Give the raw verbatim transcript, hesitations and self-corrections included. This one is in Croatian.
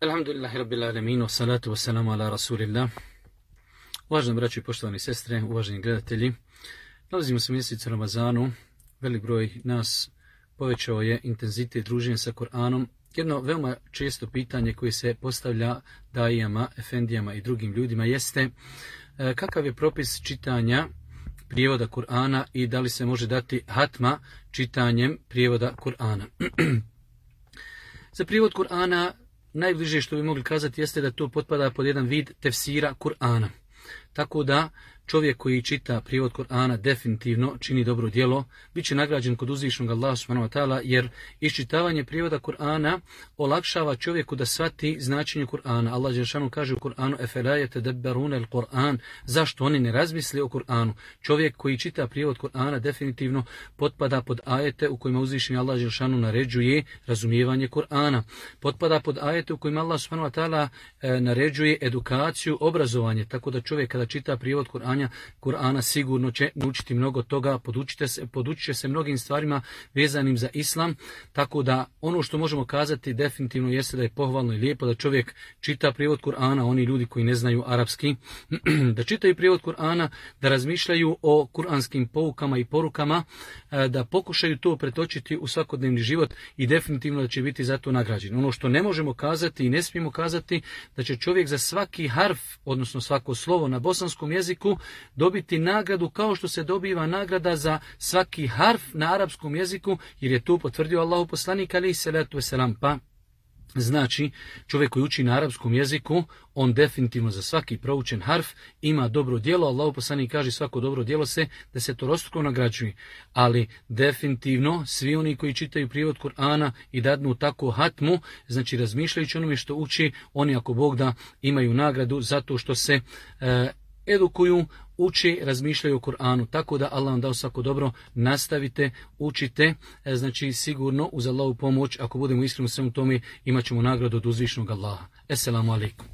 Alhamdulillahi rabbil alamin, wassalatu wassalamu ala rasulillah. Uvaženi braći i poštovani sestre, uvaženi gledatelji, nalazimo se u mjesecu Ramazanu. Velik broj nas povećao je intenzitet druženja sa Kur'anom. Jedno veoma često pitanje koje se postavlja dajijama, efendijama i drugim ljudima jeste kakav je propis čitanja prijevoda Kur'ana i da li se može dati hatma čitanjem prijevoda Kur'ana. Za prijevod Kur'ana najbliže što bi mogli kazati jeste da to potpada pod jedan vid tefsira Kur'ana. Tako da čovjek koji čita prijevod Kur'ana definitivno čini dobro djelo, bit će nagrađen kod uzvišenog Allaha subhanahu wa ta'ala, jer iščitavanje prijevoda Kur'ana olakšava čovjeku da shvati značenje Kur'ana. Allah dželešanu kaže u Kur'anu: "Efela yetadabbaruna al-Qur'an", zašto oni ne razmisle o Kur'anu? Čovjek koji čita prijevod Kur'ana definitivno potpada pod ajete u kojima uzvišeni Allah dželešanu naređuje razumijevanje Kur'ana. Potpada pod ajete u kojima Allah subhanahu wa ta'ala e, naređuje edukaciju, obrazovanje, tako da čovjek kada čita prijevod Kur'ana Kur'ana sigurno će naučiti mnogo toga, podučite se, podučit će se mnogim stvarima vezanim za islam, tako da ono što možemo kazati definitivno jeste da je pohvalno i lijepo da čovjek čita prijevod Kur'ana, oni ljudi koji ne znaju arapski, da čitaju prijevod Kur'ana, da razmišljaju o kuranskim poukama i porukama, da pokušaju to pretočiti u svakodnevni život i definitivno da će biti za to nagrađen. Ono što ne možemo kazati i ne smijemo kazati, da će čovjek za svaki harf, odnosno svako slovo na bosanskom jeziku dobiti nagradu kao što se dobiva nagrada za svaki harf na arapskom jeziku, jer je to potvrdio Allahu poslanik alejhi selatu vesselam. Pa znači, čovjek koji uči na arapskom jeziku, on definitivno za svaki proučen harf ima dobro djelo. Allahu poslanik kaže: svako dobro djelo se desetorostruko nagrađuje. Ali definitivno svi oni koji čitaju prijevod Kur'ana i dadnu tako hatmu, znači razmišljajući onome što uči, oni ako Bog da imaju nagradu zato što se e, edukuju, uči, razmišljaju o Kur'anu. Tako da Allah vam dao svako dobro, nastavite, učite, znači sigurno uz Allahu pomoć, ako budemo iskreni u svemu tome, imat ćemo nagradu od uzvišenog Allaha. Esselamu alaikum.